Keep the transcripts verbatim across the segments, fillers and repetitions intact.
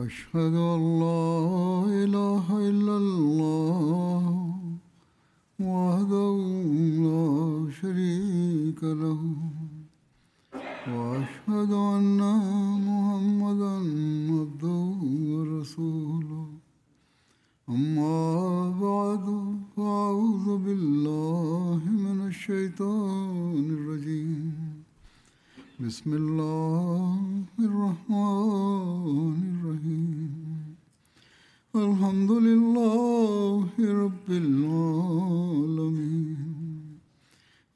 أشهد أن لا إله إلا الله وحده لا شريك له وأشهد أن محمدا عبده ورسوله أما بعد فأعوذ بالله من الشيطان الرجيم بسم الله الرحمن الرحيم الحمد لله رب العالمين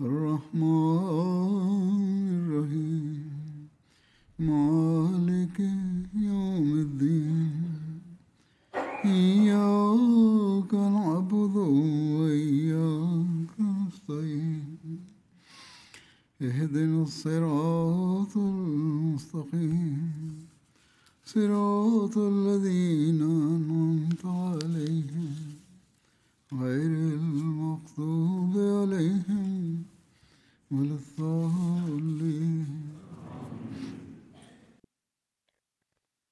الرحمن الرحيم مالك يوم الدين إياك نعبد وإياك نستعين اهدنا الصراط المستقيم صراط الذين أنعمت عليهم غير المغضوب عليهم ولا الضالين.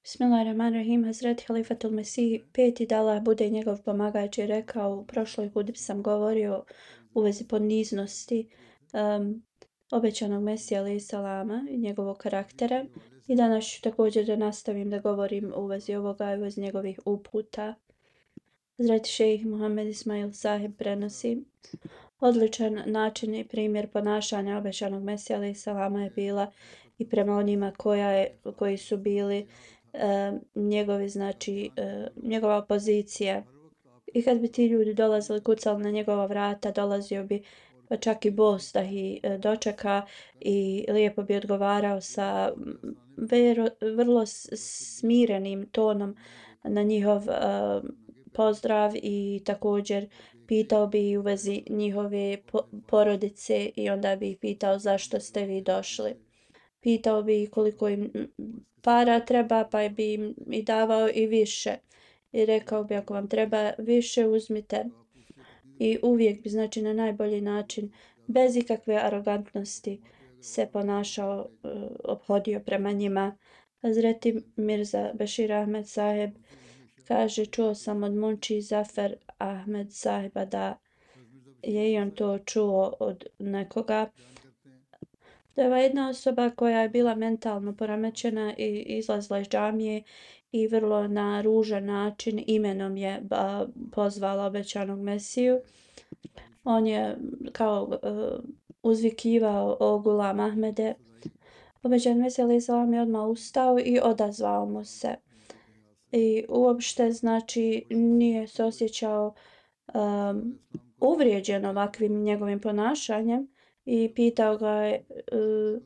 Bismillahirrahmanirrahim. Hazreti Halifatul Mesih peti da Allah bude njegov pomagač je rekao, u prošloj hudbi sam govorio u vezi poniznosti um, obećanog Mesija alejhi salama i njegovog karaktera i danas ću također da nastavim da govorim u vezi ovoga i u vezi njegovih uputa. Hazreti šejh Muhammed Ismail Sahib prenosi: odličan način i primjer ponašanja obećanog Mesija alejhi salama je bila i prema onima koja je, koji su bili uh, njegovi, znači uh, njegova pozicija. I kad bi ti ljudi dolazili, kucali na njegova vrata, dolazio bi pa čak i bos da ih dočeka i lijepo bi odgovarao sa vero, vrlo smirenim tonom na njihov uh, pozdrav i također pitao bi u vezi njihove porodice i onda bi ih pitao zašto ste vi došli. Pitao bi koliko im para treba, pa bi im i davao i više. I rekao bi ako vam treba više uzmite. I uvijek bi, znači, na najbolji način, bez ikakve arogantnosti se ponašao, uh, ophodio prema njima. Hazreti Mirza Bešir Ahmed Saheb kaže, čuo sam od Munči Zafer Ahmed Sahiba da je i on to čuo od nekoga. To je jedna osoba koja je bila mentalno poremećena i izlazila iz džamije i vrlo na ružan način imenom je ba, pozvala obećanog Mesiju. On je kao uh, uzvikivao o Gulam Ahmede. Obećan Mesija alejhi salam je odmah ustao i odazvao mu se. I uopšte, znači, nije se osjećao um, uvrijeđen ovakvim njegovim ponašanjem i pitao ga je uh,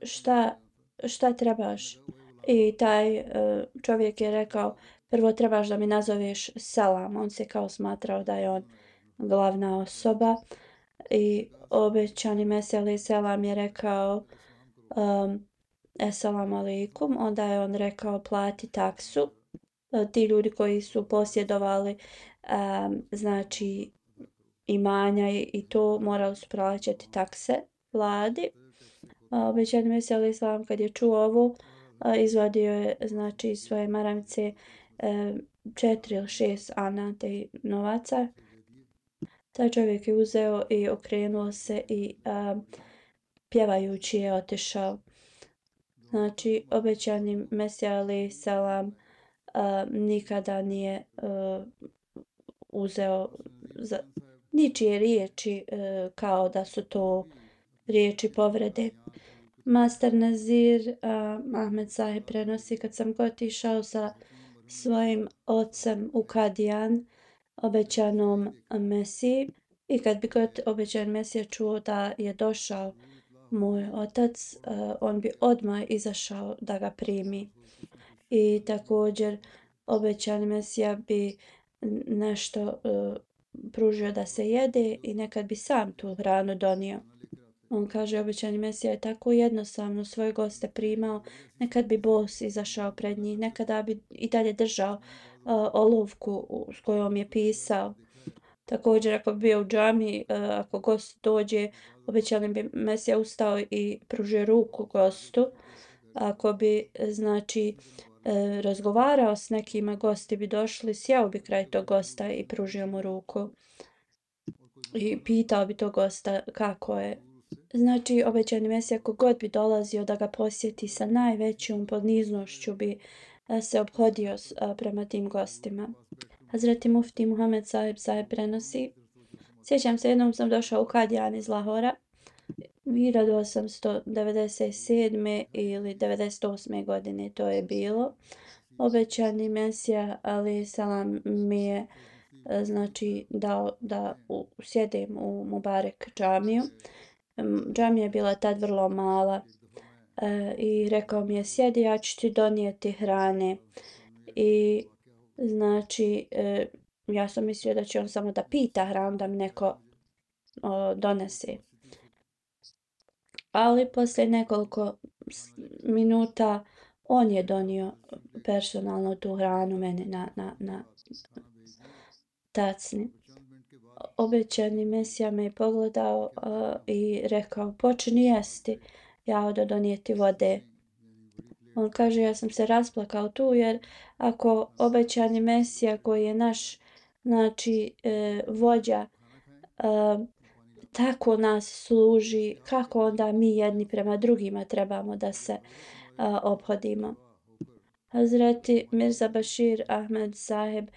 šta, šta trebaš. I taj uh, čovjek je rekao, prvo trebaš da mi nazoveš selam. On se kao smatrao da je on glavna osoba. I obećani Mesija alejhi selam je rekao um, Esselamu alejkum. Onda je on rekao plati taksu. Uh, ti ljudi koji su posjedovali um, znači imanja i, i to morali su plaćati takse vladi. Uh, obećani Mesija alejhi selam kad je čuo ovo, izvadio je, znači, iz svoje maramice e, četiri ili šest ana te novaca. Taj čovjek je uzeo i okrenuo se i a, pjevajući je otišao. Znači, obećani Mesija alejhi salam nikada nije a, uzeo za, ničije riječi a, kao da su to riječi povrede. Master Nazir uh, Ahmed Sahib prenosi, kad sam god išao sa svojim ocem u Kadijan, obećanom Mesiji, i kad bi god obećan Mesija čuo da je došao moj otac, uh, on bi odmah izašao da ga primi. I također obećan Mesija bi nešto uh, pružio da se jede i nekad bi sam tu hranu donio. On kaže, obećani Mesija je tako jednostavno svoje goste primao, nekad bi bos izašao pred njih, nekada bi i dalje držao uh, olovku s kojom je pisao. Također, ako bi bio u džami, uh, ako gost dođe, obećani bi Mesija ustao i pružio ruku gostu. Ako bi, znači, e, razgovarao s nekima, gosti bi došli, sjeo bi kraj tog gosta i pružio mu ruku i pitao bi tog gosta kako je. Znači, obećani Mesija kogod bi dolazio da ga posjeti sa najvećom poniznošću bi e, se obhodio s, a, prema tim gostima. Hazreti Mufti Muhammed Sahib Sahib prenosi: sjećam se, jednom sam došao u Kadijan iz Lahora hiljadu osamsto devedeset sedme ili devedeset osme godine to je bilo. Obećani Mesija alejhi selam mi je e, znači dao da u, sjedem u Mubarek džamiju. Em, Džamija je bila tad vrlo mala e, i rekao mi je sjedi, ja ću ti donijeti hrane. I znači e, ja sam mislio da će on samo da pita hranu da mi neko o, donese. Ali poslije nekoliko s- minuta on je donio personalno tu hranu meni na, na, na tacni. Obećani Mesija me je pogledao uh, i rekao počini jesti, ja odo donijeti vode. On kaže ja sam se rasplakao tu jer ako obećani Mesija koji je naš znači e, vođa e, tako nas služi, kako onda mi jedni prema drugima trebamo da se a, ophodimo. Hazreti Mirza Bashir Ahmed Sahib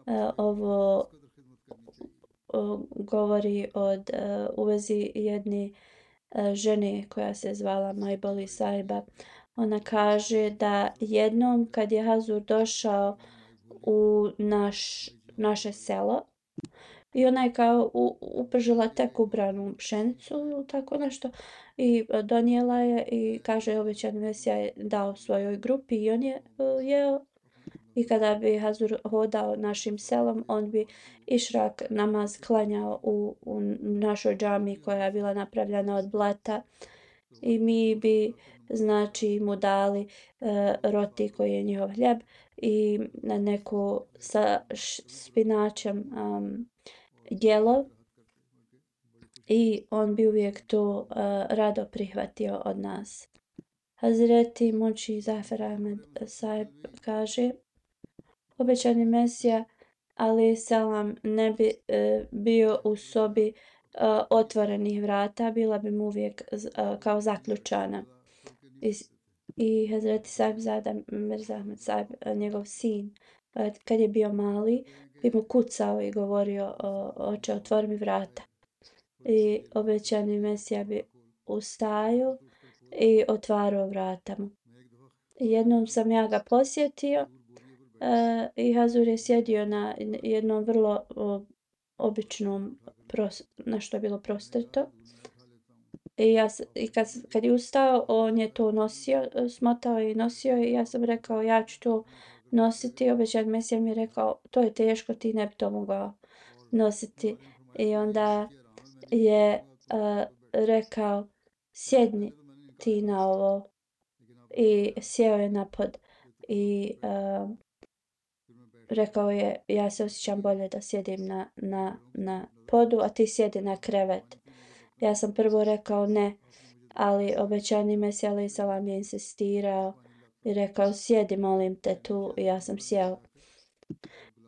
a, ovo o, govori od a, u vezi jedne a, žene koja se zvala Majboli Sahiba. Ona kaže da jednom kad je Hazur došao u naš, naše selo i ona je kao u, upržila tek ubranu pšenicu ili tako nešto i e, donijela je i kaže obećani Mesija je dao svojoj grupi i on je uh, jeo. I kada bi Hazur hodao našim selom, on bi išrak namaz klanjao u, u našoj džami koja je bila napravljena od blata i mi bi znači mu dali e, roti koji je njihov hljeb i na neku sa š, spinačem um, jelo i on bi uvijek to uh, rado prihvatio od nas. Hazreti Muči Zafer Ahmed Sahib kaže obećani Mesija alejhi selam ne bi uh, bio u sobi uh, otvorenih vrata, bila bi mu uvijek uh, kao zaključana. I, i Hazreti Sahib Zada Mirza Ahmed Sahib, njegov sin, uh, kad je bio mali, bi mu kucao i govorio oče otvori mi vrata. I obećani Mesija bi ustajao i otvarao vrata mu. I jednom sam ja ga posjetio uh, i Hazur je sjedio na jednom vrlo uh, običnom pros, nešto je bilo prostrto. I, ja, i kad, kad je ustao, on je to nosio, smotao i nosio i ja sam rekao ja ću to nositi. Obećan Mesija mi je rekao to je teško, ti ne bi to mogao nositi. I onda je uh, rekao sjedni ti na ovo i sjeo je na pod i uh, rekao je ja se osjećam bolje da sjedim na, na, na podu, a ti sjedi na krevet. Ja sam prvo rekao ne, ali obećani Mesija alejhi selam je insistirao i rekao sjedi molim te tu i ja sam sjeo.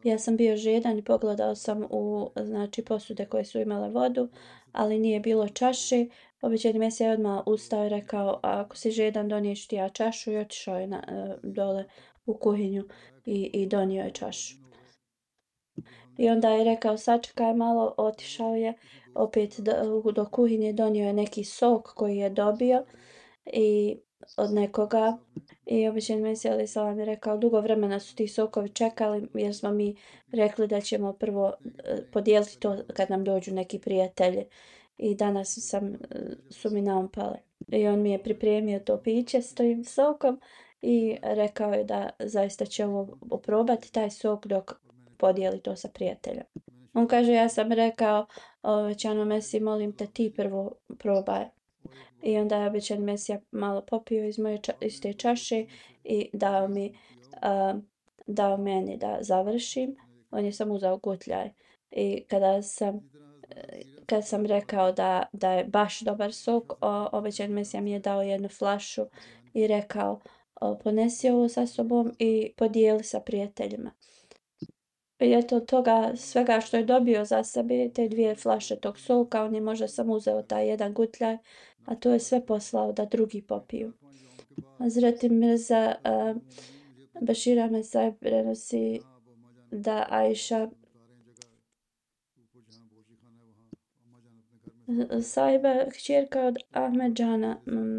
Ja sam bio žedan i pogledao sam u znači posude koje su imale vodu, ali nije bilo čaše. Obećani Mesija je odmah ustao i rekao ako si žedan doniješ ti ja čašu i otišao je na, dole u kuhinju i, i donio je čašu. I onda je rekao sačekaj malo, otišao je opet do, do kuhinje, donio je neki sok koji je dobio i od nekoga i obećani Mesija alejhi selam je rekao dugo vremena su ti sokovi čekali jer smo mi rekli da ćemo prvo podijeliti to kad nam dođu neki prijatelji i danas sam, su mi naumpale. I on mi je pripremio to piće s tim sokom i rekao je da zaista će ovo oprobati taj sok dok podijeli to sa prijateljem. On kaže ja sam rekao obećanom Mesiji molim te ti prvo probaj. I onda je obećan Mesija malo popio iz moje ča, iz te čaše i dao mi uh, dao meni da završim. On je samo uzao gutljaj. I kada sam kad sam rekao da, da je baš dobar sok, obećan Mesija mi je dao jednu flašu i rekao ponesi ovo sa sobom i podijeli sa prijateljima. I eto toga svega što je dobio za sebe, te dvije flaše tog soka, on je možda samo uzeo taj jedan gutljaj, a to je sve poslao da drugi popiju. Hazreti Mirza uh, Bashir Ahmed Sahib prenosi da Aisha Sahiba, kćerka od Ahmedžana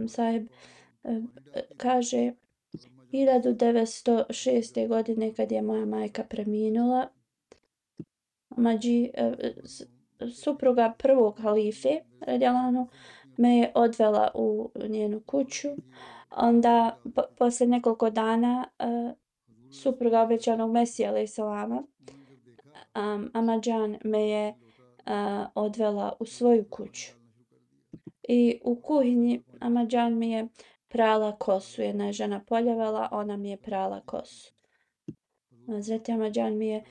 Sahib, kaže hiljadu devetsto šeste. godine kad je moja majka preminula, Mađi, supruga prvog halife, radijallahu, me je odvela u njenu kuću. Onda, po, posle nekoliko dana, supruga obećanog Mesija, alaih salama, um, Ahmadžan me je uh, odvela u svoju kuću. I u kuhinji Ahmadžan mi je prala kosu. Jedna je žena poljevala, ona mi je prala kosu. Hazreti Ahmadžan mi je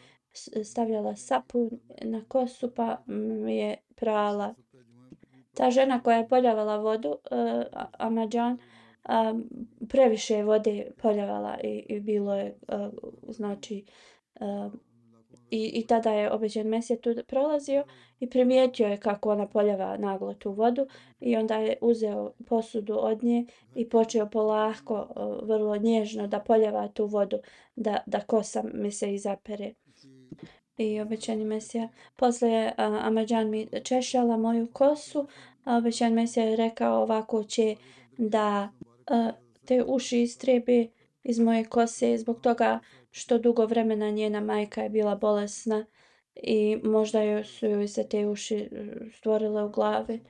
stavljala sapun na kosu pa mi je prala. Ta žena koja je poljavala vodu, uh, Ahmadžan, um, previše vode poljavala i, i bilo je, uh, znači, uh, i, i tada je obećan Mesija tu prolazio i primijetio je kako ona poljava naglo tu vodu i onda je uzeo posudu od nje i počeo polako, uh, vrlo nježno da poljava tu vodu, da, da kosa mi se izapere. I obećani Mesija, posle je uh, Ahmadžan mi češala moju kosu, a obećan Mesija je rekao ovako će da uh, te uši istrebe iz moje kose zbog toga što dugo vremena njena majka je bila bolesna i možda joj su joj se te uši stvorile u glavi.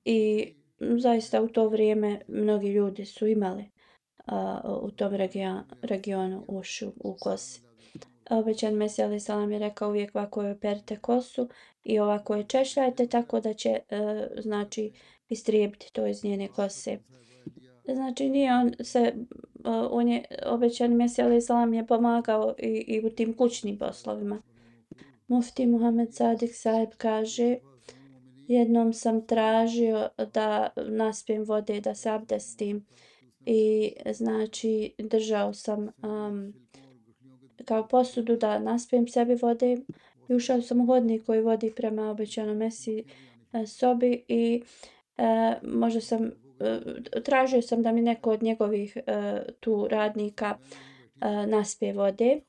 I zaista u to vrijeme mnogi ljudi su imali uh, u tom region, regionu uši u kosi. Obećan Mesija alaih salam je rekao uvijek ovako joj perite kosu i ovako je češljajte tako da će uh, znači istrijebiti to iz njene kose. Znači nije on se, uh, on je, obećan Mesija alaih salam je pomagao i, i u tim kućnim poslovima. Mufti Muhammed Sadik Sahib kaže, jednom sam tražio da naspijem vode, da se abdestim i znači držao sam um, kao posudu da naspijem sebi vode i ušao sam u hodnik koji vodi prema obećanom Mesiji sobi i e, možda sam e, tražio sam da mi neko od njegovih e, tu radnika e, naspije vode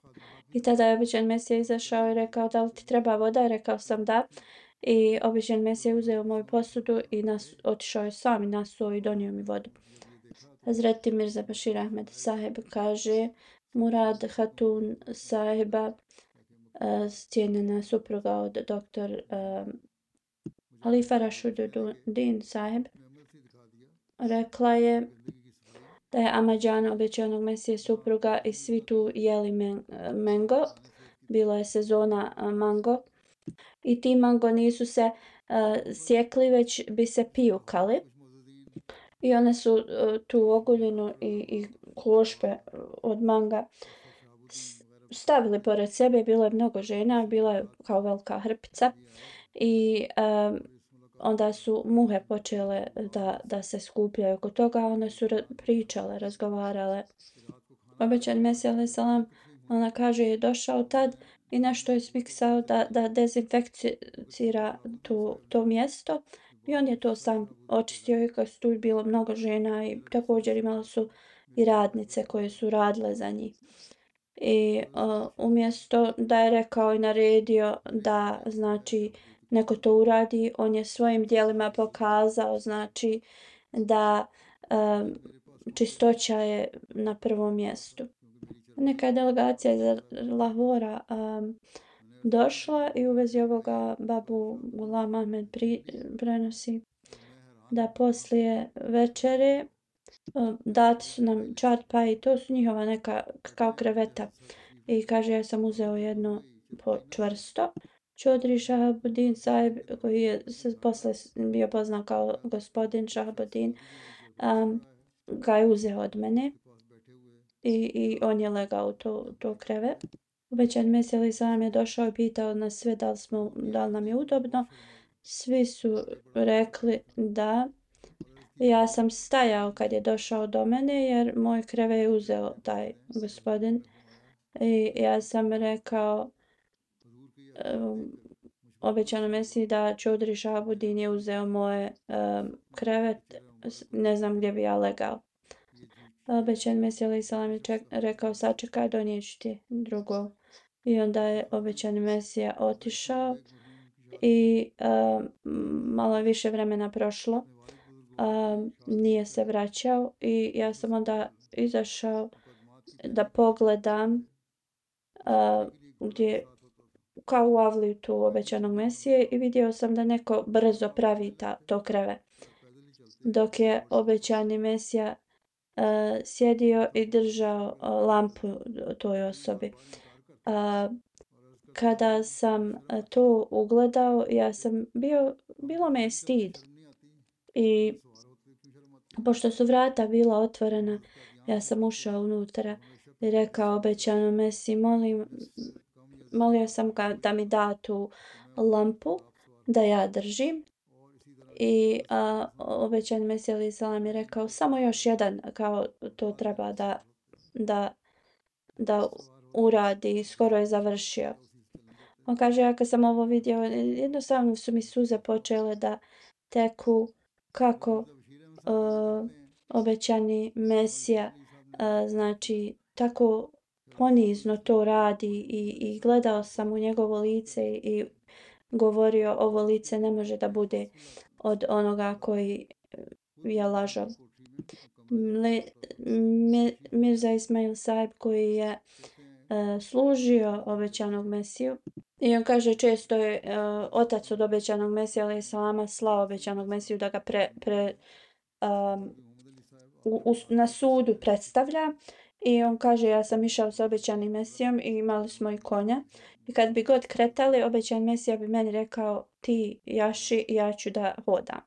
i tada je obećan Mesija izašao i rekao da li ti treba voda, rekao sam da i obećan Mesija uzeo moju posudu i nas, otišao je sam i nasuo i donio mi vodu. Hazreti Mirza Bashir Ahmed Sahib kaže Murad Hatun Sahiba, uh, cijenjena supruga od doktor uh, Halifa Rashuddin Sahib, rekla je da je Ahmadžan obećanog Mesije supruga i svi tu jeli men, mango. Bilo je sezona uh, mango i ti mango nisu se uh, sjekli, već bi se pijukali. I one su uh, tu oguljenu i, i klošpe od manga stavili pored sebe. Bilo je mnogo žena, bila je kao velika hrpica i um, onda su muhe počele da, da se skupljaju oko toga. One su pričale, razgovarale. Obećan Mesija alaih salam, ona kaže, je došao tad i nešto je smiksao da, da dezinfekcira tu, to mjesto. I on je to sam očistio i kad su tu bilo mnogo žena i također imali su i radnice koje su radile za njih. I uh, umjesto da je rekao i naredio da znači neko to uradi, on je svojim dijelima pokazao znači da um, čistoća je na prvom mjestu. Neka delegacija iz Lahora um, došla i u vezi ovoga babu Ghulam Ahmed pri, prenosi da poslije večere uh, dati su nam čarpa i to su njihova neka kao kreveta. I kaže ja sam uzeo jedno po čvrsto. Čodri Shahabuddin Sahib koji je se posle bio poznat kao gospodin Shahabuddin um, ga je uzeo od mene i, i on je legao u to, to kreve. Obećan Mesija alaih salam je došao i pitao nas sve da li, smo, da li nam je udobno. Svi su rekli da Ja sam stajao kad je došao do mene jer moj kreve je uzeo taj gospodin i ja sam rekao um, obećano Mesiji da Čudri Šabudin je uzeo moje um, krevet, ne znam gdje bi ja legao. Obećan Mesija alaih salam je ček, rekao sačekaj, donijeću ti drugo. I onda je obećani Mesija otišao i um, malo je više vremena prošlo. Um, nije se vraćao i ja sam onda izašao da pogledam uh, gdje kao u avliju tu obećanog Mesije i vidio sam da neko brzo pravi ta, to kreve. Dok je obećani Mesija uh, sjedio i držao uh, lampu toj osobi. Uh, kada sam uh, to ugledao, ja sam bio, bilo me je stid. I pošto su vrata bila otvorena, ja sam ušao unutra i rekao obećanom Mesiji, molim, molio sam ga da mi da tu lampu da ja držim. I a, obećan Mesija alaih salam je rekao samo još jedan, kao to treba da, da, da uradi, skoro je završio. On kaže, ja kad sam ovo vidio, jednostavno su mi suze počele da teku kako uh, obećani Mesija uh, znači tako ponizno to radi i, i gledao sam u njegovo lice i govorio ovo lice ne može da bude od onoga koji je lažov. Le, mi, Mirza Ismail Sahib koji je uh, služio obećanog Mesiju i on kaže često je uh, otac od obećanog Mesija alaih salama slao obećanog Mesiju da ga pre, pre um, u, u, na sudu predstavlja i on kaže ja sam išao sa obećanim Mesijom i imali smo i konja i kad bi god kretali obećan Mesija bi meni rekao ti jaši ja ću da hodam.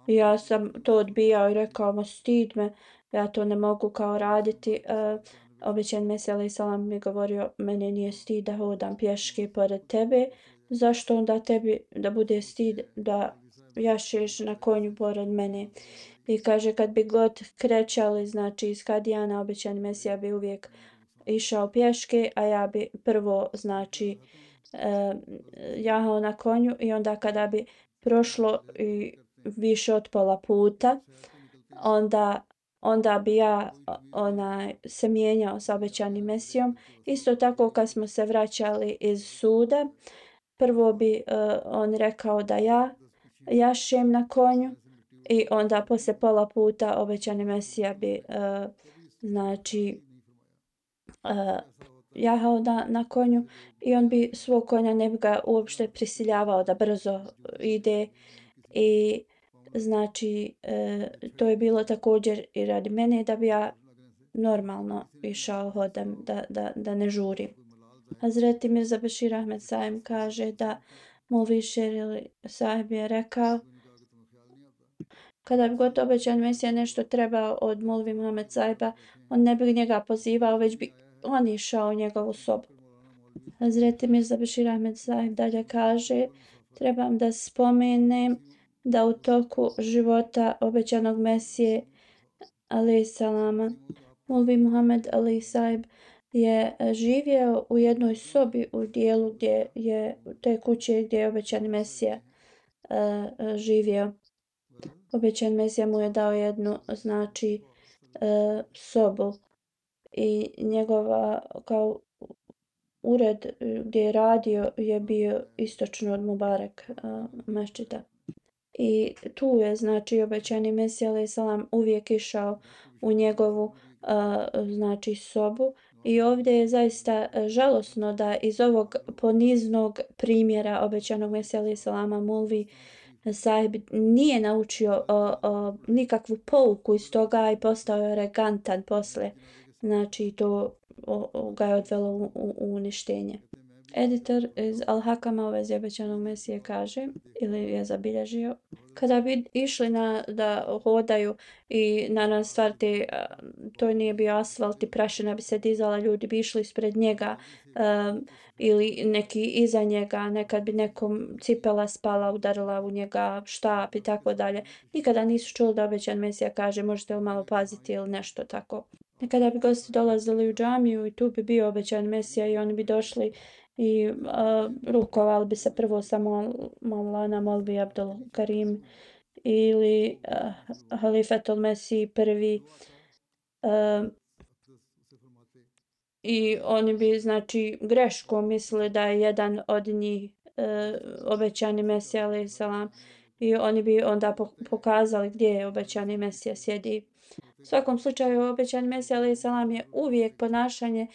I ja sam to odbijao i rekao ma stid me, ja to ne mogu kao raditi. Uh, obećan Mesija alaih salam mi govorio mene nije stid da hodam pješke pored tebe, zašto onda tebi da bude stid da jašeš na konju pored mene. I kaže kad bi god krećali znači iz Kadijana obećan Mesija bi uvijek išao pješke, a ja bi prvo znači uh, jahao na konju i onda kada bi prošlo i više od pola puta, onda, onda bi ja onaj, se mijenjao sa obećanim Mesijom. Isto tako kad smo se vraćali iz suda, prvo bi uh, on rekao da ja jašem na konju i onda poslije pola puta obećani Mesija bi uh, znači uh, jahao na, na konju i on bi svog konja ne bi ga uopšte prisiljavao da brzo ide i znači e, to je bilo također i radi mene da bi ja normalno išao hodam, da, da, da ne žurim. Hazreti Mirza Bashir Ahmed Sahib kaže da Molvi Sher Sahib je rekao kada bi god obećan Mesija nešto trebao od Molvi Muhammed Sahiba, on ne bi njega pozivao, već bi on išao u njegovu sobu. Hazreti Mirza Bashir Ahmed Sahib dalje kaže trebam da spomenem da u toku života obećanog Mesije alaih salama Molvi Muhammed alaih Sahib je živio u jednoj sobi u dijelu gdje je te kuće gdje je obećani Mesija uh, živio. Obećan Mesija mu je dao jednu znači uh, sobu i njegova kao ured gdje je radio je bio istočno od Mubarak uh, mešćida. I tu je znači obećani Mesija alaih salam uvijek išao u njegovu uh, znači sobu i ovdje je zaista žalosno da iz ovog poniznog primjera obećanog Mesija alaih salama Molvi Sahib nije naučio uh, uh, nikakvu pouku iz toga i postao je arogantan posle. Znači to o, o, ga je odvelo u, u, u uništenje. Editor iz Al-Hakama u vezi obećanog Mesije kaže, ili je zabilježio, kada bi išli na, da hodaju i na stvar te, to nije bio asfalt i prašina bi se dizala, ljudi bi išli ispred njega um, ili neki iza njega, nekad bi nekom cipela spala, udarila u njega štap i tako dalje. Nikada nisu čuli da obećan Mesija kaže možete li malo paziti ili nešto tako. Nekada bi gosti dolazili u džamiju i tu bi bio obećan Mesija i oni bi došli i uh, rukovali bi se prvo sa Maulana Molvi Abdul Karim ili uh, Halifetul Mesih prvi uh, i oni bi znači greškom mislili da je jedan od njih uh, obećani Mesija alejhi selam i oni bi onda pokazali gdje je obećani Mesija sjedi. U svakom slučaju obećani Mesija alejhi selam je uvijek ponašanje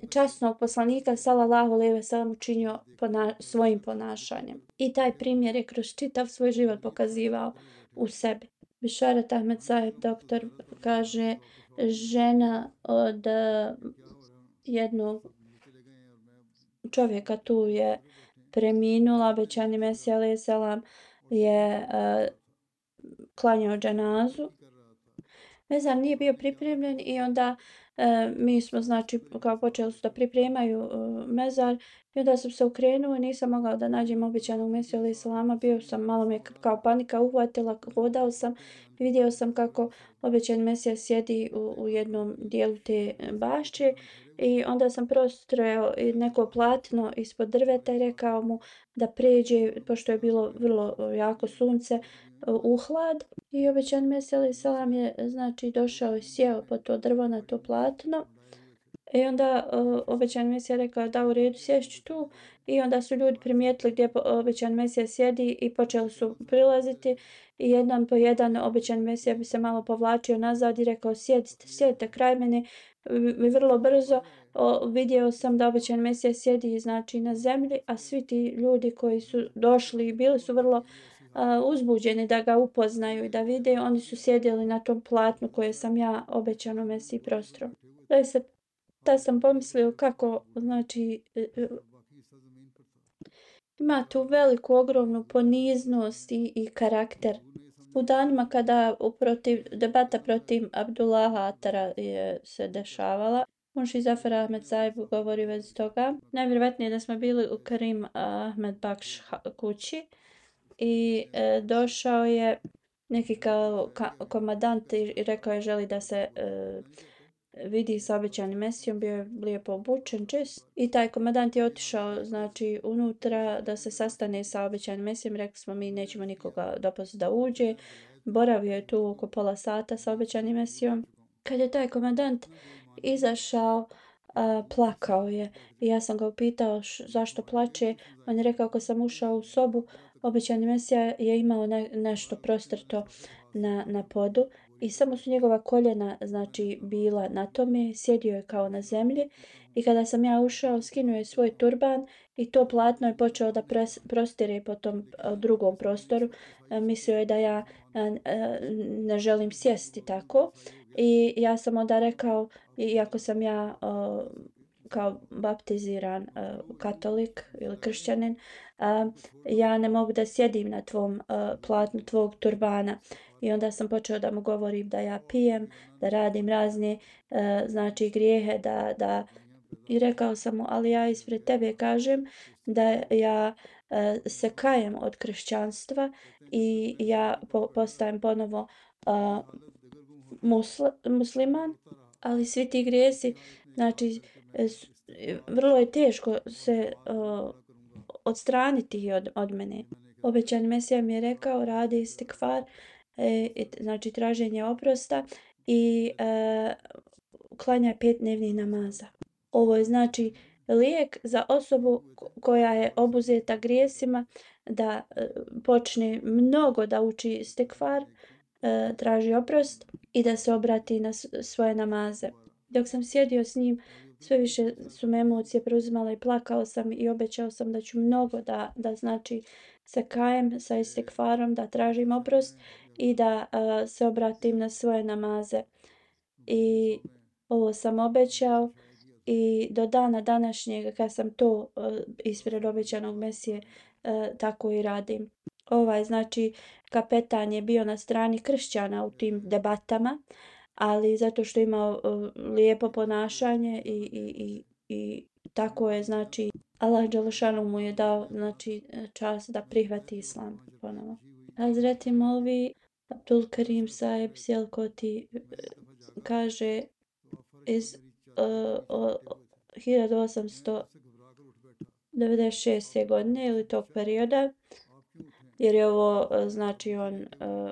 časnog poslanika sallallahu alejhi ve sellem učinio pona- svojim ponašanjem. I taj primjer je kroz čitav svoj život pokazivao u sebi. Bišaret Ahmed Saheb, doktor, kaže žena od jednog čovjeka tu je preminula, obećani Mesija alejhi selam je uh, klanjao dženazu. Mezar nije bio pripremljen i onda e, mi smo znači kao počeli su da pripremaju e, mezar i onda sam se okrenuo i nisam mogao da nađem obećanog Mesiju alejhi selama, bio sam, malo me kao panika uhvatila, hodao sam i vidio sam kako obećani Mesija sjedi u, u jednom dijelu te bašče i onda sam prostrojao neko platno ispod drveta i rekao mu da pređe, pošto je bilo vrlo jako sunce, u hlad. I obećani Mesija alejhi selam je znači došao i sjeo po to drvo na to platno. I onda uh, obećani Mesija rekao da u redu sješću tu i onda su ljudi primijetili gdje obećani Mesija sjedi i počeli su prilaziti i jedan po jedan obećani Mesija bi se malo povlačio nazad i rekao sjedite, sjedite kraj mene i vrlo brzo o, vidio sam da obećani Mesija sjedi znači na zemlji, a svi ti ljudi koji su došli i bili su vrlo Uh, uzbuđeni da ga upoznaju i da vide, oni su sjedili na tom platnu koje sam ja obećano Mesiji prostro. Da se, da sam pomislio kako, znači, uh, ima tu veliku, ogromnu poniznost i, i karakter. U danima kada uprotiv, debata protiv Abdullaha Atara je se dešavala, Munši Zafar Ahmed Saheb govori već toga. Najvjerovatnije da smo bili u Karim Ahmed Bakš kući i e, došao je neki kao ka, komadant i rekao je želi da se e, vidi sa obećanim Mesijom, bio je lijepo obučen, čist. I taj komadant je otišao znači unutra da se sastane sa obećanim Mesijom, rekli smo mi nećemo nikoga dopustiti da uđe. Boravio je tu oko pola sata sa obećanim Mesijom. Kad je taj komadant izašao, a, plakao je i ja sam ga upitao š, zašto plače. On je rekao kad sam ušao u sobu, obećani Mesija je imao ne, nešto prostrto na, na podu i samo su njegova koljena znači bila na tome, sjedio je kao na zemlji i kada sam ja ušao skinuo je svoj turban i to platno je počeo da pres, prostire po tom a, drugom prostoru. A, mislio je da ja a, a, ne želim sjesti tako i ja sam onda rekao, iako sam ja a, kao baptiziran uh, katolik ili kršćanin, uh, ja ne mogu da sjedim na tvom uh, platnu tvog turbana. I onda sam počeo da mu govorim da ja pijem, da radim razne uh, znači grijehe, da, da i rekao sam mu, ali ja ispred tebe kažem da ja uh, se kajem od kršćanstva i ja po, postajem ponovo uh, musl, musliman, ali svi ti grijesi, znači vrlo je teško se uh, odstraniti od, od mene. Obećani Mesija mi je rekao radi istikfar, e, znači traženje oprosta i e, klanja pet dnevnih namaza. Ovo je znači lijek za osobu koja je obuzeta grijesima da e, počne mnogo da uči istikfar, e, traži oprost i da se obrati na svoje namaze. Dok sam sjedio s njim, sve više su me emocije preuzimale i plakao sam i obećao sam da ću mnogo da, da znači se kajem sa istikfarom, da tražim oprost i da uh, se obratim na svoje namaze. I ovo sam obećao i do dana današnjeg kad sam to uh, ispred obećanog Mesije uh, tako i radim. Ovaj znači kapetan je bio na strani kršćana u tim debatama, ali zato što ima uh, lijepo ponašanje i, i, i, i tako je znači Allah dželešanu mu je dao znači čast da prihvati islam ponovo. Hazreti Molvi Abdul Karim Saheb Sialkoti kaže iz uh, hiljadu osamsto devedeset šeste. godine ili tog perioda, jer je ovo znači on uh,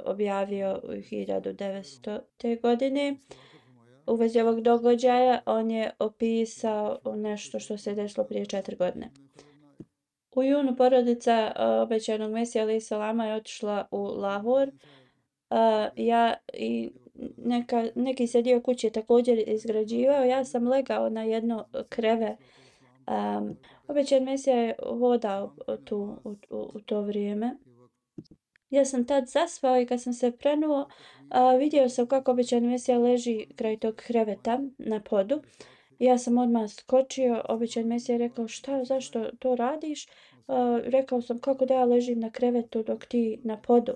objavio u hiljadu devetstote. godine. U vezi ovog događaja on je opisao nešto što se desilo prije četiri godine. U junu porodica uh, obećanog Mesija alejhi selama je otišla u Lahor. Uh, ja i neka, neki se dio kuće također izgrađivao. Ja sam legao na jedno kreve. Um, obećan Mesija je hodao tu u, u, u to vrijeme. Ja sam tad zaspao i kad sam se prenuo, a, vidio sam kako obećani Mesija leži kraj tog kreveta na podu. Ja sam odmah skočio, obećani Mesija je rekao šta, zašto to radiš? A, rekao sam kako da ja ležim na krevetu dok ti na podu.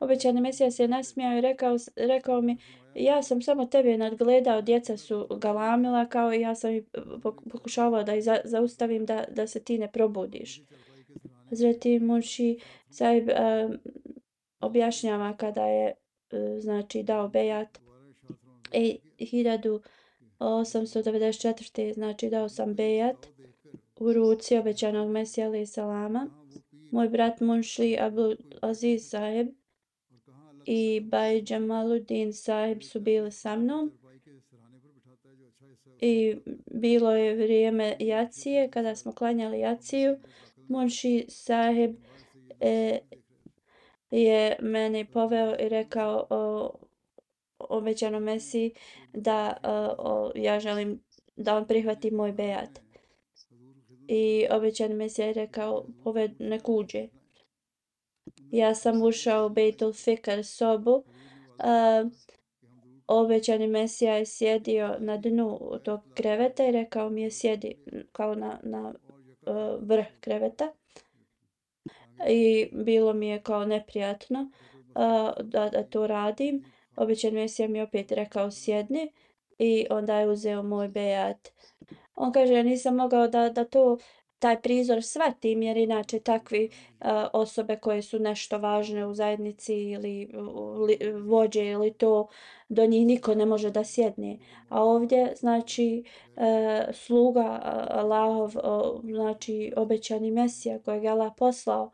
Obećani Mesija se nasmijao i rekao, rekao mi ja sam samo tebe nadgledao, djeca su galamila kao i ja sam i pokušavao da ih za, zaustavim da, da se ti ne probudiš. Hazreti Munši Sahib uh, objašnjava kada je uh, znači dao bejat i hiljadu osamsto devedeset četvrte. znači dao sam bejat u ruci obećanog Mesija alejhi selama. Moj brat Munši Abdul Aziz Sahib i Baj Džamaluddin Sahib su bili sa mnom. I bilo je vrijeme jacije, kada smo klanjali jaciju. Munši Sahib e, je meni poveo i rekao o obećanom Mesiji da o, ja želim da on prihvati moj bejat. I obećani Mesija je rekao poved nek uđe. Ja sam ušao u Bejtul Fikr sobu. Uh, obećani Mesija je sjedio na dnu tog kreveta i rekao mi je sjedi kao na, na uh, vrh kreveta. I bilo mi je kao neprijatno uh, da, da to radim. Obećani Mesija mi opet rekao sjedni i onda je uzeo moj bejat. On kaže ja nisam mogao da, da to taj prizor shvatim jer inače takvi uh, osobe koje su nešto važne u zajednici ili li, vođe ili to do njih niko ne može da sjedne. A ovdje znači uh, sluga uh, Allahov, uh, znači obećani Mesija kojeg je Allah poslao,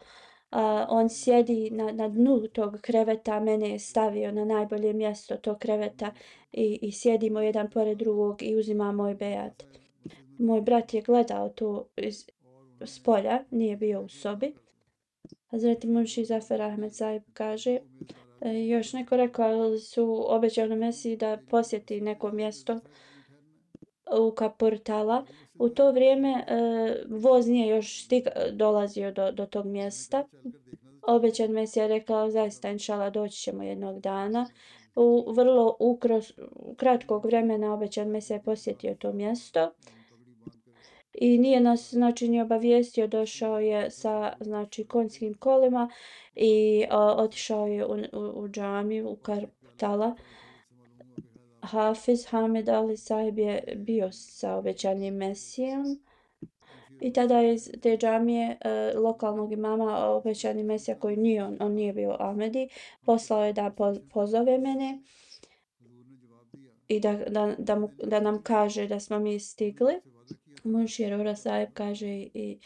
Uh, on sjedi na, na dnu tog kreveta, mene je stavio na najbolje mjesto tog kreveta i, i sjedimo jedan pored drugog i uzima moj bejat. Moj brat je gledao to iz spolja, nije bio u sobi. Hazreti Munši Zafer Ahmed Sahib kaže, e, još neko rekao su obećali Mesiji da posjeti neko mjesto u Kapurtala. U to vrijeme e, voz nije još stig, dolazio do, do tog mjesta. Obećan Mesija rekao zaista inšala doći ćemo jednog dana. U vrlo ukros, kratkog vremena obećan Mesija je posjetio to mjesto. I nije nas znači ni obavijestio, došao je sa znači konjskim kolima i o, otišao je u, u, u džamiju u Kapurtala. Hafiz Hamed Ali Sahib je bio sa obećanim Mesijom i tada je iz te džamije e, lokalnog imama obećani Mesija koji nije on, on nije bio Ahmedi, poslao je da po, pozove mene i da, da, da, mu, da nam kaže da smo mi stigli. Munši Arora Sahib kaže i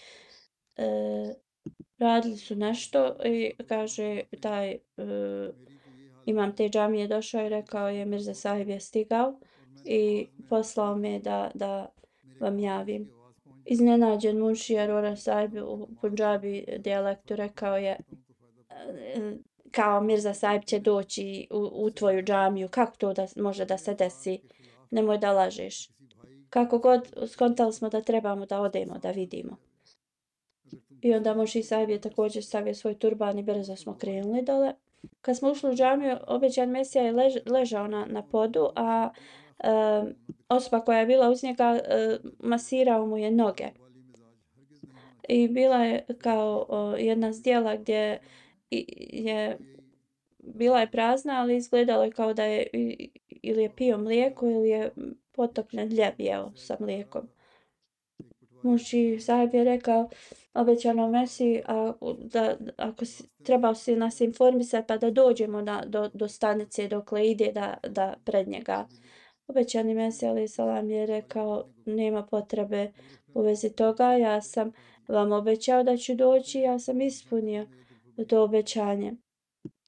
e, radili su nešto i kaže taj e, imam te džamije došao i rekao je Mirza Sahib je stigao i poslao me da, da vam javim. Iznenađen Munši Arora Sahib u Punjabi dijalektu rekao je kao Mirza Sahib će doći u, u tvoju džamiju, kako to da može da se desi, nemoj da lažeš. Kako god skontali smo da trebamo da odemo, da vidimo. I onda Munši Sahib je također stavio svoj turban i brzo smo krenuli dole. Kad smo ušli u džamiju, obećan Mesija je lež, ležao na, na podu, a uh, osoba koja je bila uz njega uh, masirao mu je noge. I bila je kao uh, jedna zdjela gdje je bila je prazna, ali izgledalo je kao da je ili je pio mlijeko ili je potopljen hljeb jeo sa mlijekom. Muži sahib je rekao obećanom Mesiji, a, da ako si, trebao si nas informisati pa da dođemo na, do, do stanice dokle ide da, da pred njega. Obećani Mesija alaih salam je rekao nema potrebe u vezi toga, ja sam vam obećao da ću doći, ja sam ispunio to obećanje.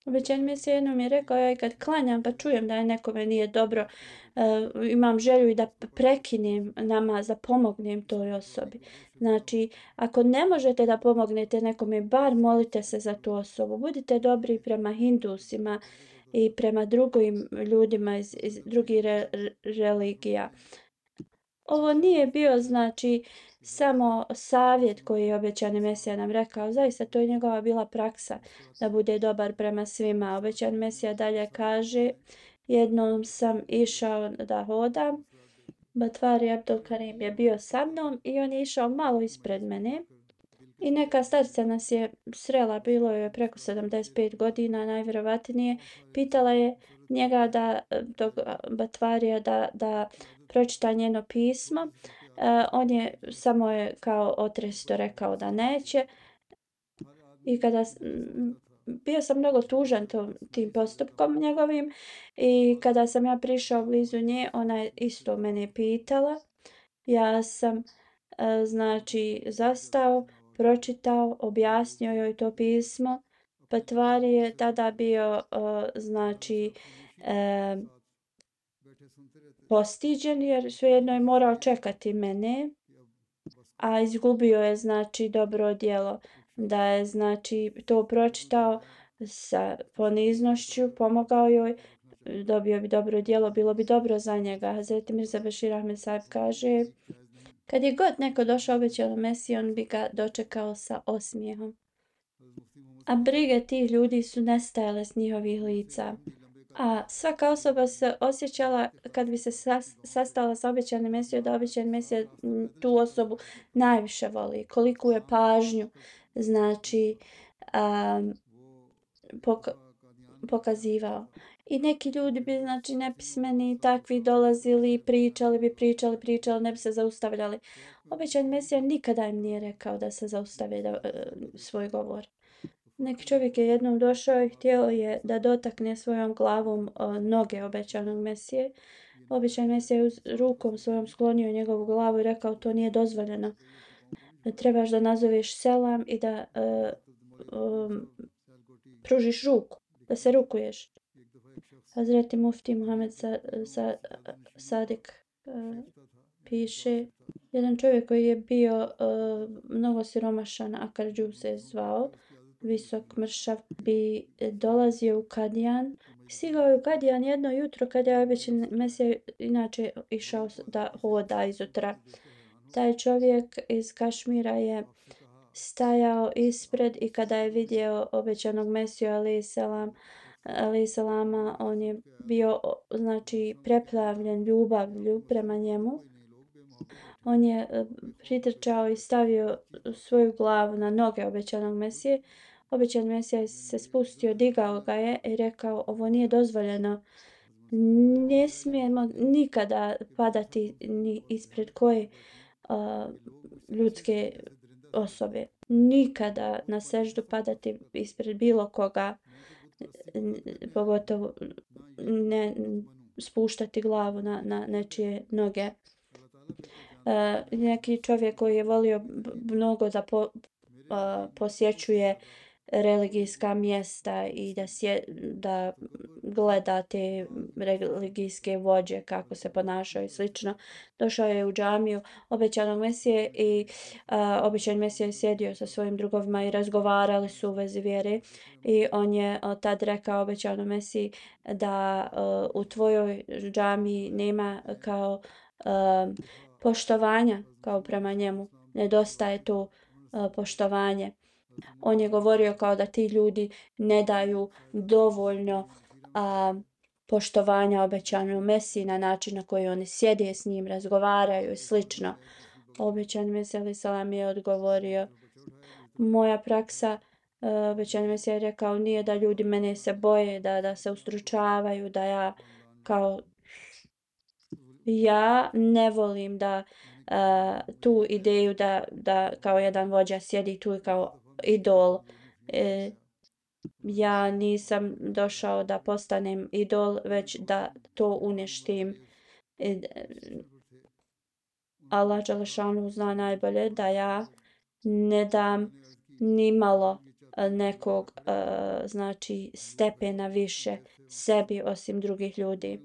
Obećani Mesija jednom je rekao, ja i kad klanjam pa čujem da je nekome nije dobro, uh, imam želju i da prekinem namaz, da pomognem toj osobi. Znači, ako ne možete da pomognete nekome, bar molite se za tu osobu. Budite dobri prema hindusima i prema drugim ljudima iz, iz drugih re, religija. Ovo nije bio, znači, samo savjet koji je obećani Mesija nam rekao. Zaista, to je njegova bila praksa da bude dobar prema svima. Obećani Mesija dalje kaže, jednom sam išao da hodam, Batvari Abdul Karim je bio sa mnom i on je išao malo ispred mene. I neka starica nas je srela, bilo je preko sedamdeset pet godina, najvjerovatnije. Pitala je njega da, dok Batvarija da, da pročita njeno pismo. Uh, on je samo je kao otresto rekao da neće. I kada bio sam mnogo tužan to, tim postupkom njegovim i kada sam ja prišao blizu nje, ona je isto mene pitala. Ja sam uh, znači zastao, pročitao, objasnio joj to pismo. Patvari je tada bio uh, znači uh, postiđen jer svejedno je morao čekati mene, a izgubio je znači dobro djelo da je znači to pročitao sa poniznošću, pomogao joj, dobio bi dobro djelo, bilo bi dobro za njega. Hazreti Mirza Bešir Ahmed Sahib kaže, kad je god neko došao obećanom Mesiji, on bi ga dočekao sa osmijehom. A brige tih ljudi su nestajale s njihovih lica. A svaka osoba se osjećala kad bi se sas, sastala sa obećanim Mesijom, da obećani Mesija tu osobu najviše voli. Koliko je pažnju, znači, um, poka pokazivao. I neki ljudi bi, znači, nepismeni takvi dolazili, pričali bi, pričali, pričali, ne bi se zaustavljali. Obećani Mesija nikada im nije rekao da se zaustave da, uh, svoj govor. Neki čovjek je jednom došao i htio je da dotakne svojom glavom uh, noge obećanog Mesije. Obećani Mesija je rukom svojom sklonio njegovu glavu i rekao to nije dozvoljeno. Trebaš da nazoveš selam i da uh, um, pružiš ruku, da se rukuješ. Hazreti Mufti Muhammed sa, sa, Sadik uh, piše, jedan čovjek koji je bio uh, mnogo siromašan, Akarđu se zvao, visok mršav, bi dolazio u Kadijan. Stigao je u Kadijan jedno jutro kada je obećan Mesija inače išao da hoda izutra. Taj čovjek iz Kašmira je stajao ispred i kada je vidio obećanog Mesiju alaih salam, alaih salama, on je bio znači preplavljen ljubavlju prema njemu. On je pritrčao i stavio svoju glavu na noge obećanog Mesije. Obećan Mesija se spustio, digao ga je i rekao ovo nije dozvoljeno. Ne smijemo nikada padati ni ispred koje uh, ljudske osobe. Nikada na seždu padati ispred bilo koga, pogotovo ne spuštati glavu na, na nečije noge. Uh, neki čovjek koji je volio mnogo da po, uh, posjećuje religijska mjesta i da, sje, da gleda te religijske vođe kako se ponašaju i slično. Došao je u džamiju obećanog Mesije i uh, obećan Mesija je sjedio sa svojim drugovima i razgovarali su u vezi vjere i on je uh, tad rekao obećanom Mesiji da uh, u tvojoj džamiji nema kao uh, poštovanja kao prema njemu. Nedostaje to uh, poštovanje. On je govorio kao da ti ljudi ne daju dovoljno a, poštovanja obećanom Mesiji na način na koji oni sjede s njim, razgovaraju i slično. Obećani Mesija alejhi selam je odgovorio, moja praksa, uh, obećani Mesija je rekao, nije da ljudi mene se boje, da, da se ustručavaju, da ja kao ja ne volim da uh, tu ideju da, da kao jedan vođa sjedi tu i kao idol. E, ja nisam došao da postanem idol, već da to uništim. E, Allah dželešanu zna najbolje da ja ne dam ni malo nekog uh, znači stepena više sebi osim drugih ljudi.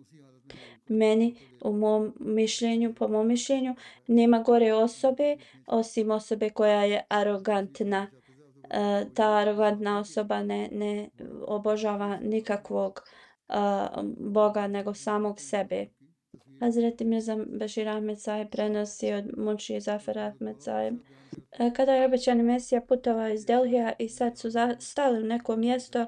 Meni, u mom mišljenju, po mom mišljenju, nema gore osobe osim osobe koja je arogantna. Uh, ta arogantna osoba ne, ne obožava nikakvog uh, Boga nego samog sebe. Hazreti Mirza Bešir Ahmed Sahib prenosi od Munši Zafar Ahmed Sahib. Kada je obećani Mesija putovao iz Delhija i sad su stali u neko mjesto,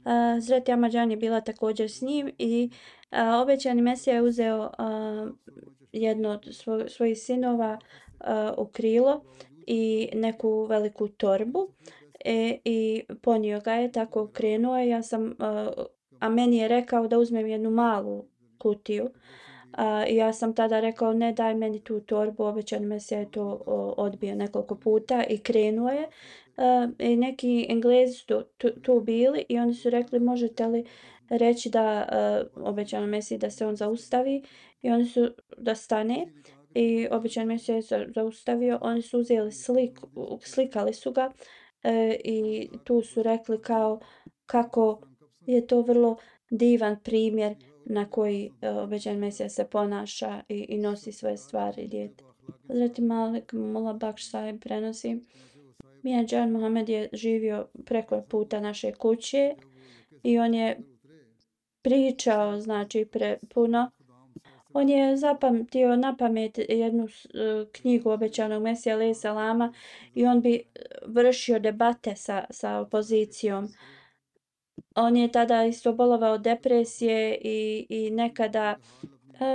Hazreti Ahmadžan je bila također s njim i a, obećani Mesija je uzeo a, jedno od svo, svojih sinova a, u krilo i neku veliku torbu e, i ponio ga je, tako krenuo je. Ja sam, a, a meni je rekao da uzmem jednu malu kutiju. A, ja sam tada rekao ne daj meni tu torbu, obećani Mesija je to o, odbio nekoliko puta i krenuo je. Uh, i neki Englezi su tu, tu bili i oni su rekli možete li reći da uh, obećani Mesiji da se on zaustavi i oni su da stane i obećani Mesija je zaustavio, oni su uzeli slik, slikali su ga uh, i tu su rekli kao kako je to vrlo divan primjer na koji uh, obećani Mesija se ponaša i, i nosi svoje stvari djete. Hazreti Malik Mullah Bakš Sahib prenosi, Mian Džan Mohamed je živio preko puta naše kuće i on je pričao, znači pre, puno. On je zapamtio na pamet jednu uh, knjigu obećanog Mesija alejhi selama i on bi vršio debate sa, sa opozicijom. On je tada isto bolovao depresije i, i nekada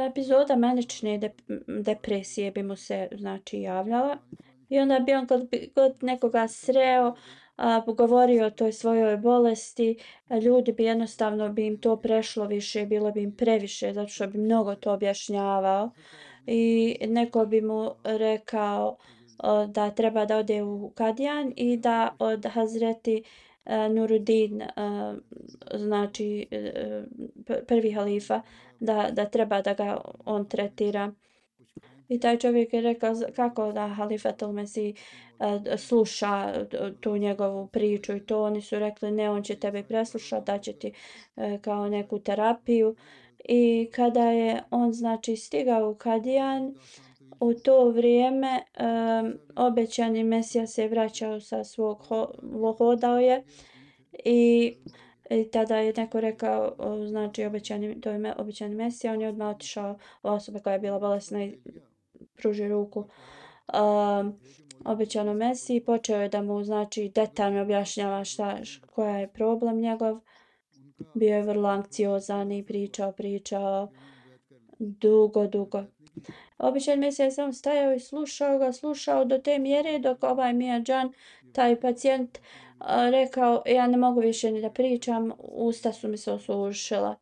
epizoda manične de, depresije bi mu se znači javljala. I onda bi on kad bi god nekoga sreo, a, govorio o toj svojoj bolesti, a ljudi bi jednostavno bi im to prešlo više, bilo bi im previše, zato što bi mnogo to objašnjavao. I neko bi mu rekao o, da treba da ode u Kadijan i da od Hazreti uh, Nuruddin, uh, znači uh, prvi halifa, da, da treba da ga on tretira. I taj čovjek je rekao kako da Halifatul Mesih uh, sluša tu njegovu priču i to. Oni su rekli ne, on će tebe preslušati, da će ti uh, kao neku terapiju. I kada je on znači stigao u Kadijan, u to vrijeme um, obećani Mesija se vraćao sa svog ho hodao je i, i tada je neko rekao znači obećani, to je obećani Mesija, on je odmah otišao osoba koja je bila bolesna i pruži ruku um, obećanom Mesiji, počeo je da mu znači detaljno objašnjava šta, koja je problem njegov. Bio je vrlo anksiozan i pričao, pričao dugo, dugo. Običan Mesija je samo stajao i slušao ga, slušao do te mjere dok ovaj Mian Džan, taj pacijent, rekao ja ne mogu više ni da pričam, usta su mi se osušila.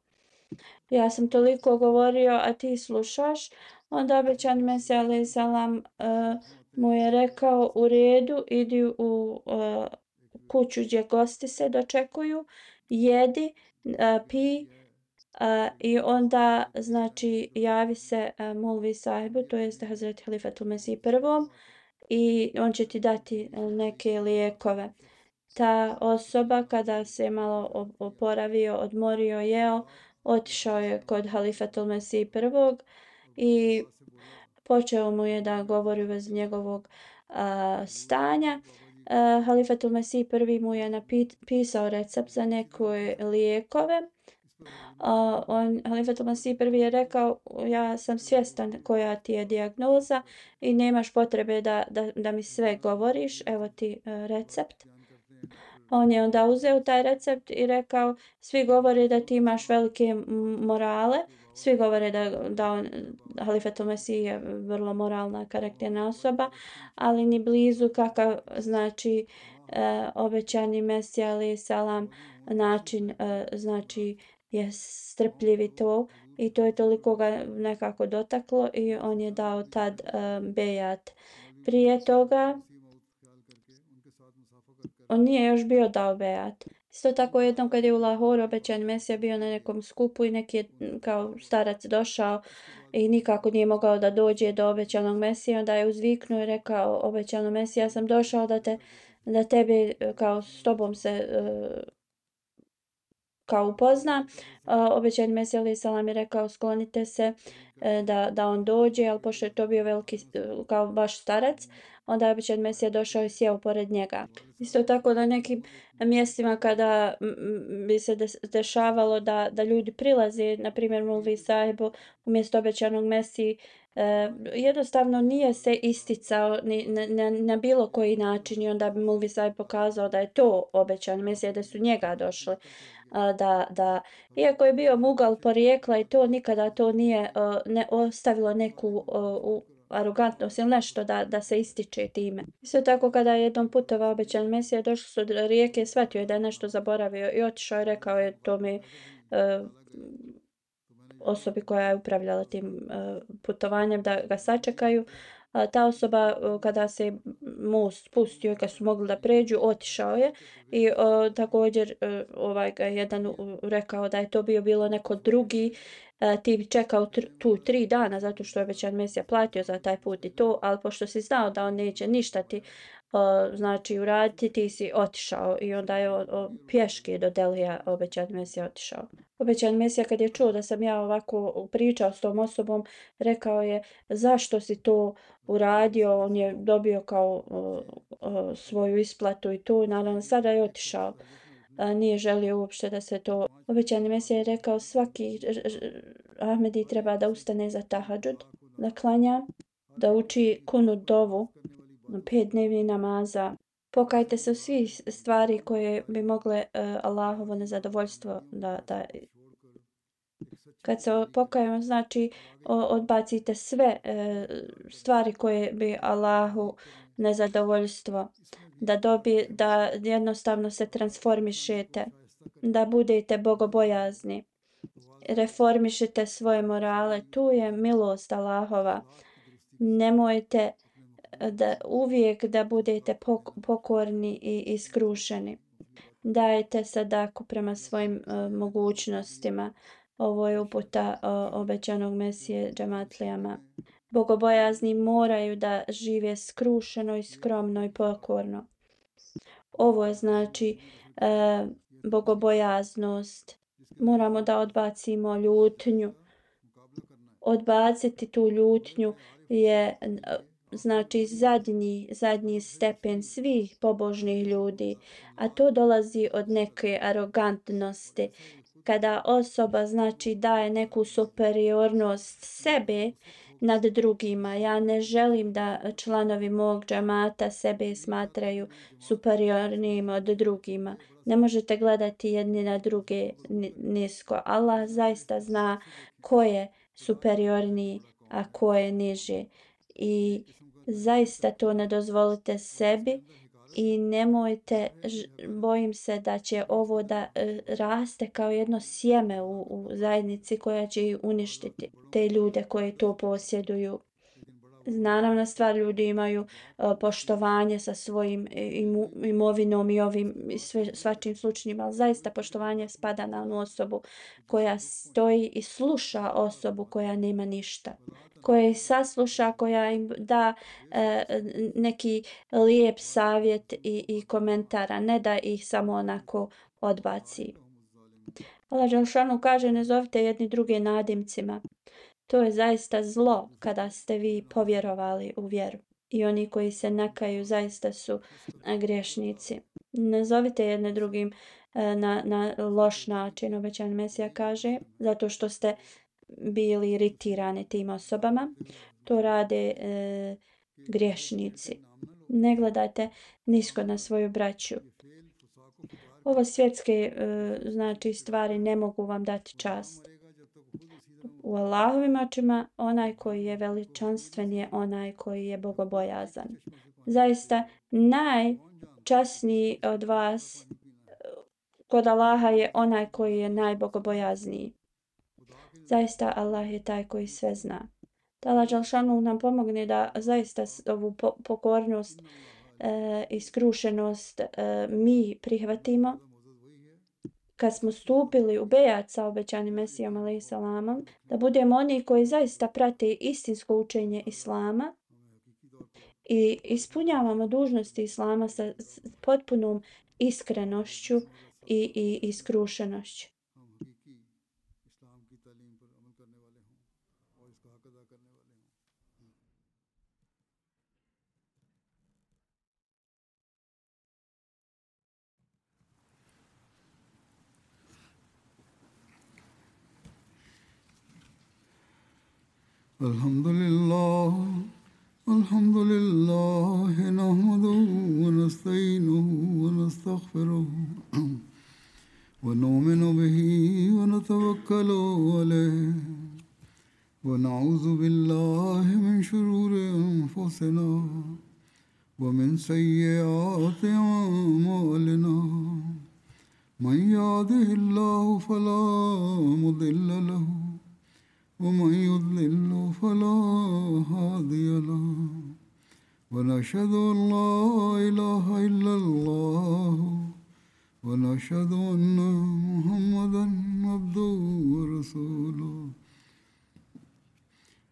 Ja sam toliko govorio, a ti slušaš. Onda obećan Mesija alejhi selam uh, mu je rekao u redu, idi u uh, kuću gdje gosti se dočekuju, jedi, uh, pi, Uh, i onda znači javi se uh, Mulvi sahibu, to jeste Hazreti Halifatul Mesih prvom i on će ti dati uh, neke lijekove. Ta osoba kada se malo oporavio, odmorio, jeo, otišao je kod Halifatul Mesih prvog i počeo mu je da govori u vezi njegovog uh, stanja. Uh, Halifatul Mesih prvi mu je napisao recept za neke lijekove. Uh, on, Halifatul Mesih prvi je rekao ja sam svjestan koja ti je dijagnoza i nemaš potrebe da, da, da mi sve govoriš, evo ti uh, recept. On je onda uzeo taj recept i rekao, svi govore da ti imaš velike morale, svi govore da, da on, Halifetul Mesih je vrlo moralna, karakterna osoba, ali ni blizu kakav, znači, e, obećani Mesija, ali salam, način, e, znači, je strpljiv i to, i to je toliko ga nekako dotaklo i on je dao tad e, bejat. Prije toga, on nije još bio dao bejat. Isto tako jednom kad je u Lahoru obećani Mesija bio na nekom skupu i neki je kao starac došao i nikako nije mogao da dođe do obećanog Mesija, onda je uzviknuo i rekao obećano Mesija, ja sam došao da te da tebe kao s tobom se uh, kao upozna. Uh, obećani Mesija alejhi selam je rekao sklonite se uh, da, da on dođe, ali pošto je to bio veliki uh, kao baš starac, onda je obećani Mesija došao i sjeo pored njega. Isto tako na nekim mjestima kada bi se dešavalo da, da ljudi prilaze, na primjer Mulvi sahibu umjesto obećanog Mesiji, eh, jednostavno nije se isticao ni, na, na, na bilo koji način i onda bi Mulvi sahib pokazao da je to obećan Mesija, da su njega došli. Da, da, iako je bio mugal porijekla i to nikada to nije uh, ne ostavilo neku uh, arogantnost ili nešto da, da se ističe time. Isto tako kada je jednom putovao obećan Mesija, došli su do rijeke, shvatio je da je nešto zaboravio i otišao i rekao je to mi uh, osobi koja je upravljala tim uh, putovanjem da ga sačekaju. A ta osoba kada se most spustio i kad su mogli da pređu, otišao je i o, također ovaj ga jedan rekao da je to bio bilo neko drugi a, ti bi čekao tr, tu tri dana zato što je obećan Mesija platio za taj put i to, ali pošto si znao da on neće ništa ti o, znači uraditi, ti si otišao i onda je o, o, pješke do Delija obećan Mesija otišao. Obećan Mesija kad je čuo da sam ja ovako pričao s tom osobom, rekao je zašto si to uradio, on je dobio kao o, o, svoju isplatu i to, naravno sada je otišao, a, nije želio uopšte da se to. Obećani Mesija je rekao svaki Ahmedi treba da ustane za tahadžud, da klanja, da uči kunut dovu, pet dnevnih namaza. Pokajte se u svih stvari koje bi mogle uh, Allahovo nezadovoljstvo da, da kad se pokajemo, znači odbacite sve e, stvari koje bi Allahu nezadovoljstvo, da dobi, da jednostavno se transformišete, da budete bogobojazni, reformišite svoje morale, tu je milost Allahova. Nemojte da uvijek da budete pokorni i iskrušeni. Dajte sadaku prema svojim uh, mogućnostima. Ovo je uputa uh, obećanog Mesije džematlijama. Bogobojazni moraju da žive skrušeno i skromno i pokorno. Ovo je znači uh, bogobojaznost. Moramo da odbacimo ljutnju. Odbaciti tu ljutnju je uh, znači zadnji, zadnji stepen svih pobožnih ljudi, a to dolazi od neke arogantnosti. Kada osoba znači daje neku superiornost sebe nad drugima, ja ne želim da članovi mog džamata sebe smatraju superiornijim od drugima. Ne možete gledati jedni na druge nisko. Allah zaista zna ko je superiorniji, a ko je niži. I zaista to ne dozvolite sebi i nemojte, bojim se da će ovo da raste kao jedno sjeme u, u zajednici koja će ih uništiti, te ljude koji to posjeduju. Naravno, stvar ljudi imaju uh, poštovanje sa svojim imu, imovinom i ovim sve, svačim slučajima, ali zaista poštovanje spada na onu osobu koja stoji i sluša osobu koja nema ništa, koja ih sasluša, koja im da uh, neki lijep savjet i, i komentara, ne da ih samo onako odbaci. Allah Đelšanu kaže, ne zovite jedni druge nadimcima. To je zaista zlo kada ste vi povjerovali u vjeru. I oni koji se nakaju zaista su griješnici. Ne zovite jedne drugim na, na loš način, obećan Mesija kaže, zato što ste bili iritirani tim osobama. To rade e, griješnici. Ne gledajte nisko na svoju braću. Ovo svjetske uh, znači stvari ne mogu vam dati čast. U Allahovim očima onaj koji je veličanstven je onaj koji je bogobojazan. Zaista najčasniji od vas kod Allaha je onaj koji je najbogobojazniji. Zaista Allah je taj koji sve zna. Da Allah dželešanu nam pomogne da zaista ovu po- pokornost e, i skrušenost e, mi prihvatimo. Kad smo stupili u bejat sa obećanim Mesijom alejhi selamom, da budemo oni koji zaista prate istinsko učenje Islama i ispunjavamo dužnosti Islama sa s potpunom iskrenošću i, i iskrušenošću. الحمد لله الحمد لله نحمده ونستعينه ونستغفره ونؤمن به ونتوكل عليه ونعوذ بالله من شرور أنفسنا ومن سيئات أعمالنا من يهده الله فلا مضل له ومن يضلل فلا هادي له ونشهد أن لا إله إلا الله ونشهد أن محمدا عبده ورسوله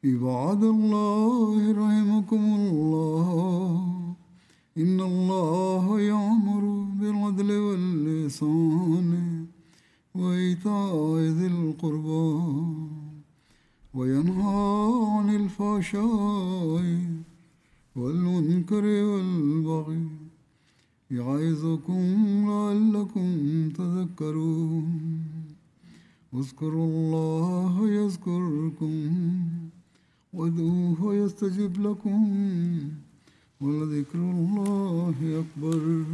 عباد الله رحمكم الله إن الله يأمر بالعدل والإحسان وإيتاء ذي القربى وينهى عن الفحشاء والمنكر والبغي يعظكم لعلكم تذكرون اذكروا الله يذكركم وادعوه يستجب لكم ولذكر الله أكبر.